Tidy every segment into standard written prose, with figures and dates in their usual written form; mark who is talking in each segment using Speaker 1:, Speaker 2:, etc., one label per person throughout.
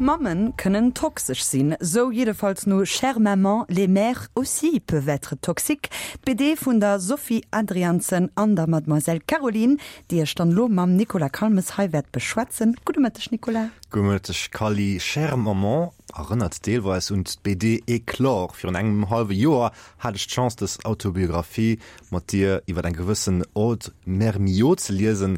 Speaker 1: Mammen kënnen toxesch sinn, sou jiddefalls no Chère maman, les mères aussi peuvent être toxiques, d'BD vun der Sophie Adriaenssen an der Mademoiselle Caroline, déi ech dann elo mam Nicolas Calmes hei wäert beschwätzen. Gudde Mëtteg, Nicolas.
Speaker 2: Gudde Mëtteg, Kally. Chère maman erënnert deelweis un d'BD Éclore. Virun engem hallwe Joer hat ech d'Chance, dës Autobiographie mat dir iwwer eng gewëssen Aude Mermillod ze liesen.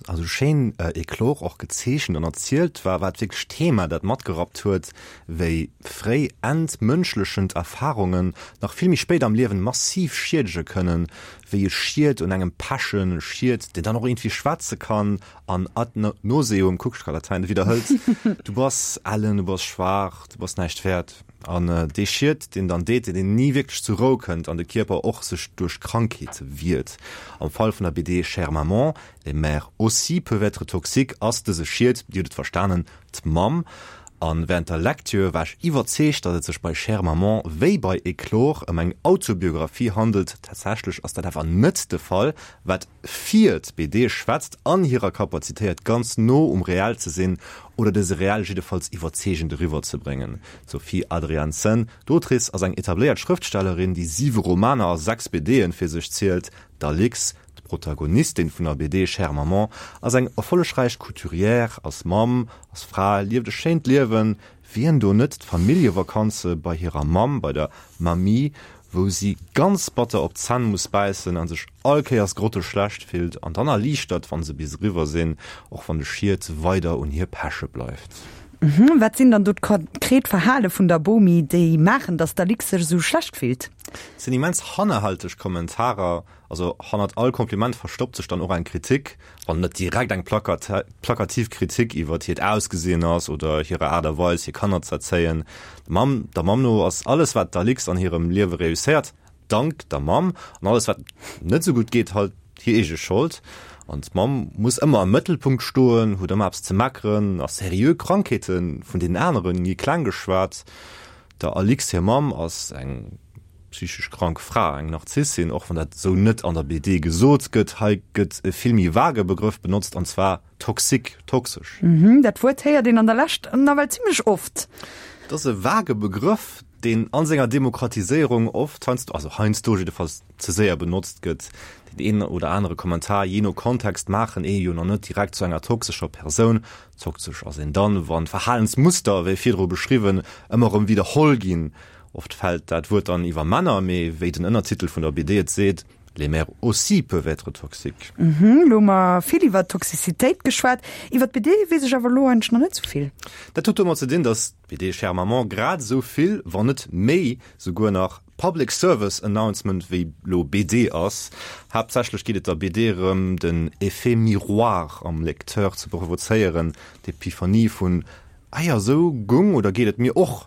Speaker 2: Also schéin Éclore och gezeechent an erzielt war, war et wierklech d'Thema, dat matgerappt huet, wéi fréi entmënschlechend Erfarungen nach vill méi spéit am Liewen massiv schiedege kënnen, wéi e Schied un engem pechen Schied, deen dann och iergendwéi schwätze kann an ad nauseum, kuck, ech ka Latäin, widderhëlt, Du bass ellen, du bass schwaach, du bass näischt wäert. An dee Schied, deen dann deet, deen ni wierklech zur Rou kënnt an de Kierper och sech duerch Krankheete wiert. Am Fall vun der BD Chère maman, les mères aussi peuvent être toxiques ass dëse Schied, Dir hutt et verstanen, d'Mamm. A während der Lecture war ech iwwerzeegt, datt et sech bei Chère maman wéi bei Éclore ëm eng Autobiographie handelt. Tatsächlech ass dat awer net de Fall, wat fir d'BD schwätzt an hirer Kapazitéiert ganz no um Real ze sinn oder dëse Real jiddefalls iwwerzeegend eriwwer ze bréngen. D'Sophie Adriaenssen, d'Autrice, ass eng etabléiert Schrëftstellerin, déi siwe Romaner a 6 BDe fir sech zielt. D'Alix, d'Protagonistin vun der BD Chère Maman, ass eng erfollegräich Couturière, ass Mamm, ass Fra, lieft e schéint Liewen. Wien do net d'Familljevakanze bei hirer Mamm, bei der Mamie, wou si ganz batter op d'Zänn muss bäissen a sech all Kéiers grotteschlecht fillt an dann erliichtert, wann se bis eriwwer sinn, och wann de Schied weider un hir peche bleift.
Speaker 1: Wat sinn dann do d'konkret Verhale vun der Bomi, déi maachen, datt d'Alix sech esou schlecht fillt?
Speaker 2: Et sinn immens hannerhälteg Kommentarer, also hannert all Kompliment verstoppt sech dann och eng Kritik, wann net direkt eng plakativ Kritik iwwert hiert Ausgesinn ass oder hirer Aart a Weis hir Kanner z'erzéien. Der Mamm der Mamm no ass alles wat d'Alix an hirem Liewe reusséiert, dank der Mamm, an alles wat net esou gutt geet halt hir eege Schold. An d'Mamm muss ëmmer am Mëttelpunkt stoen, huet ëmmer eppes ze meckeren a seriö Krankheete vun deenen anere gi kleng geschwat. Der Alix hir Mamm ass eng psychesch krank Fra, eng Narzissin, och wann dat esou net an der BD gesot gëtt. Hei gëtt e vill méi vage Begrëff benotzt, an zwar toxique, toxesch.
Speaker 1: Dat Wuert héiert een an der Lescht nawell zimmlech oft.
Speaker 2: Et ass e vage Begrëff, deen a senger Demokratiséierung oft, heiansdo, also heiansdo jiddefalls, ze séier benotzt gëtt. Deen een oder anere Kommentar, jee no Kontext, maachen ee jo nach net direkt zu enger toxescher Persoun. Toxesch ass een dann, wann Verhalensmuster, wéi virdru beschriwwen, ëmmer erëm widderholl ginn. Oft fält dat Wuert dann iwwer Männer, mee wéi den Ënnertitel vun der BD et seet, Les mères aussi peuvent être toxiques.
Speaker 1: Mhm, lo hu mer vill iwwer Toxicitéit geschwat. Iwwer d'BD weess ech awer elo eigentlech nach net sou vill.
Speaker 2: Dat huet domat ze dinn, datt d'BD Chère Maman grad esou vill, wann net méi souguer nach, Public Service Announcement wéi lo BD ass. Haaptsächlech geet et der BD erëm, den Effet Miroir am Lecteur ze provozéieren, d'Epiphanie vun, Ah jo, esou gung oder geet et mir och.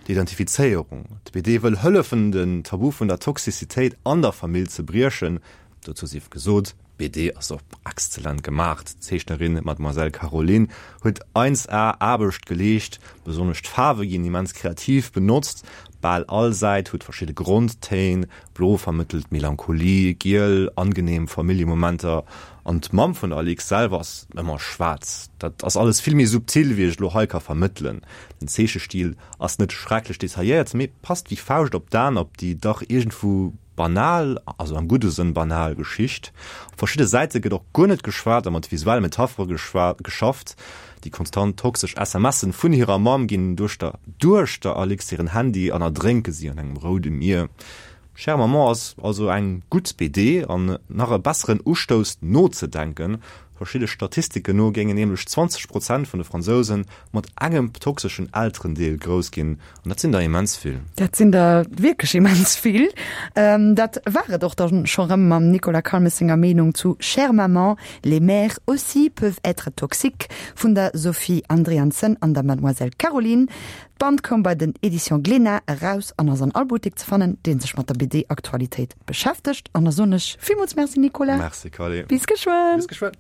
Speaker 2: D'Identifizéierung. D'BD wëll hëllefen, den Tabu vun der Toxicitéit an der Famill ze briechen. Dozou sief gesot, d'BD ass och exzellent gemaach. D'Zeechnerin Mademoiselle Caroline huet 1A Aarbecht geleescht. Besonnesch d'Faarwe ginn immens kreativ benotzt. Bal all Säit huet verschidde Grondtéin, Blo vermëttelt Melancholie, giel angenehm Familljemomenter an d'Mamm vun der Alix selwer ass ëmmer schwaarz. Dat ass alles vill méi subtil, wéi ech et elo hei ka vermëttelen. Den Zeechestil ass net schrecklech detailléiert, mee passt wéi Fauscht op d'An op déi dach iergendwou banal, also am gudde Sënn banal, Geschicht. Op verschidde Säite gëtt och guer net geschwat a mat visuelle Metaphere geschafft. Déi konstant toxesch SMSen vun hirer Mamm ginn duerch der duerch der Alix hiren Handy an erdrénke si an engem roude Mier. Chère Maman ass also eng gutt BD an nach e besseren Ustouss nozedenken. Verschidde Statistiken no géingen nämlech 20 Prozent vun de Fransousen mat engem toxeschen Elterendeel grouss ginn an dat sinn der immens vill.
Speaker 1: Dat sinn der wierklech immens vill. Dat war et och dann scho rëm mam Nicolas Calmes senger Meenung zu Chère Maman, les mères aussi peuvent être toxiques vun der Sophie Andriansen an der Mademoiselle Caroline. D'Band koum bei den Editions Glénat eraus an ass an all Buttek ze fannen, dee sech mat der BD-Aktualitéit beschäftegt. An da soen ech villmools Merci Nicolas.
Speaker 2: Merci Carly.
Speaker 1: Bis geschwënn.
Speaker 2: Bis geschwënn.